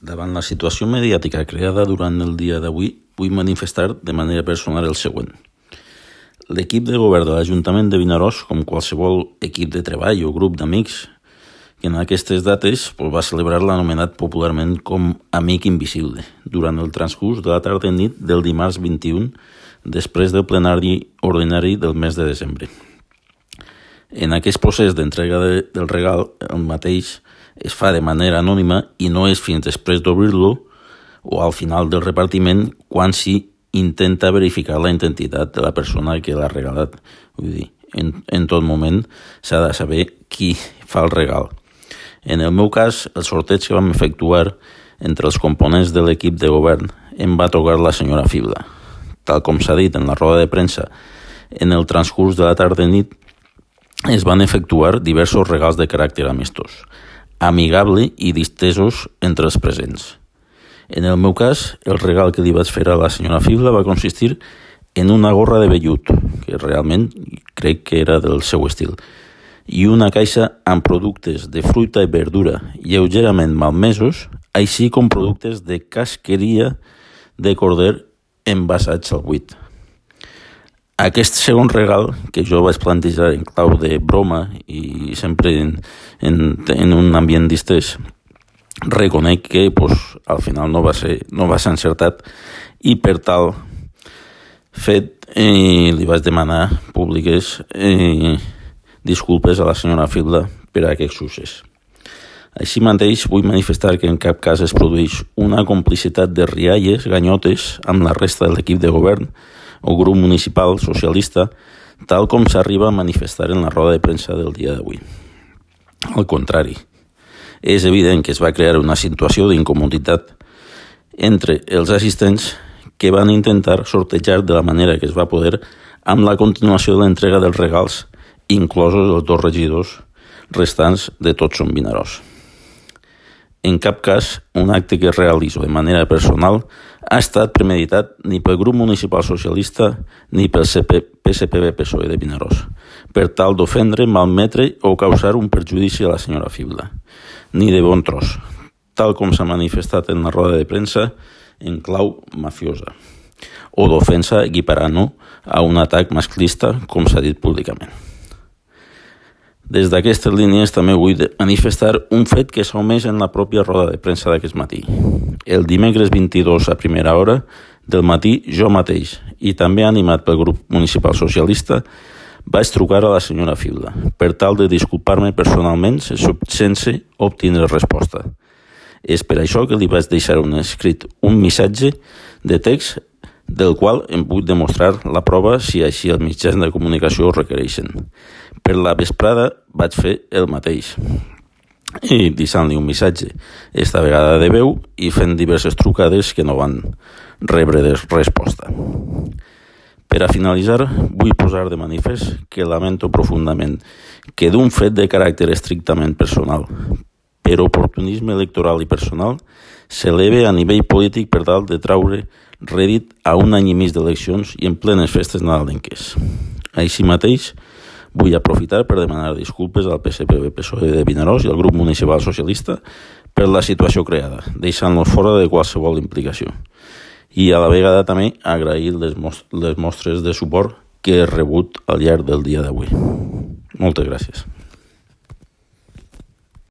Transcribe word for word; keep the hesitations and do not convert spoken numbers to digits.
Davant la situació mediàtica creada durant el dia d'avui, vull manifestar de manera personal el següent. L'equip de govern de l'Ajuntament de Vinaròs, com qualsevol equip de treball o grup d'amics, que en aquestes dates pues, va celebrar l'anomenat popularment com Amic Invisible, durant el transcurs de la tarda i nit del dimarts vint-i-u, després del plenari ordinari del mes de desembre. En aquest procés d'entrega de, del regal, el mateix es fa de manera anònima i no és fins després d'obrir-lo o al final del repartiment quan s'hi intenta verificar la identitat de la persona que l'ha regalat. Vull dir, en, en tot moment s'ha de saber qui fa el regal. En el meu cas, el sorteig que vam efectuar entre els components de l'equip de govern em va tocar la senyora Fibla. Tal com s'ha dit en la roda de premsa, en el transcurs de la tarda i nit es van efectuar diversos regals de caràcter amistós, amigable i distesos entre els presents. En el meu cas, el regal que li vaig fer a la senyora Fibla va consistir en una gorra de vellut, que realment crec que era del seu estil, i una caixa amb productes de fruita i verdura lleugerament malmesos, així com productes de casqueria de corder envasats al buit. Aquest segon regal, que jo vaig plantejar en clau de broma i sempre en, en, en un ambient distès, reconec que pues, al final no va ser, no va ser encertat i per tal fet eh, li vaig demanar públiques eh, disculpes a la senyora Fibla per a aquest succés. Així mateix vull manifestar que en cap cas es produeix una complicitat de rialles, ganyotes amb la resta de l'equip de govern o grup municipal socialista, tal com s'arriba a manifestar en la roda de premsa del dia d'avui. Al contrari, és evident que es va crear una situació d'incomoditat entre els assistents que van intentar sortejar de la manera que es va poder amb la continuació de l'entrega dels regals, inclosos els dos regidors restants de Tots Som Vinaròs. En cap cas, un acte que realitzo de manera personal ha estat premeditat ni pel grup municipal socialista ni pel P S P B P S O E de Vinaròs, per tal d'ofendre, malmetre o causar un perjudici a la senyora Fibla, ni de bon tros, tal com s'ha manifestat en la roda de premsa en clau mafiosa, o d'ofensa equiparant-ho a un atac masclista, com s'ha dit públicament. Des d'aquestes línies també vull manifestar un fet que s'ha omès en la pròpia roda de premsa d'aquest matí. El dimecres vint-i-dos a primera hora del matí, jo mateix, i també animat pel grup municipal socialista, vaig trucar a la senyora Fibla per tal de disculpar-me personalment sense obtindre resposta. És per això que li vaig deixar un escrit, un missatge de text del qual em puc demostrar la prova si així els mitjans de comunicació ho requereixen. Per la vesprada vaig fer el mateix i deixant-li un missatge, esta vegada de veu i fent diverses trucades que no van rebre resposta. Per a finalitzar, vull posar de manifest que lamento profundament que d'un fet de caràcter estrictament personal, per oportunisme electoral i personal, s'eleve a nivell polític per tal de traure rèdit a un any i mig d'eleccions i en plenes festes nadalenques. Així mateix, vull aprofitar per demanar disculpes al P S P B P S O E de Vinaròs i al grup municipal socialista per la situació creada, deixant-los fora de qualsevol implicació. I a la vegada també agrair les, most- les mostres de suport que he rebut al llarg del dia d'avui. Moltes gràcies.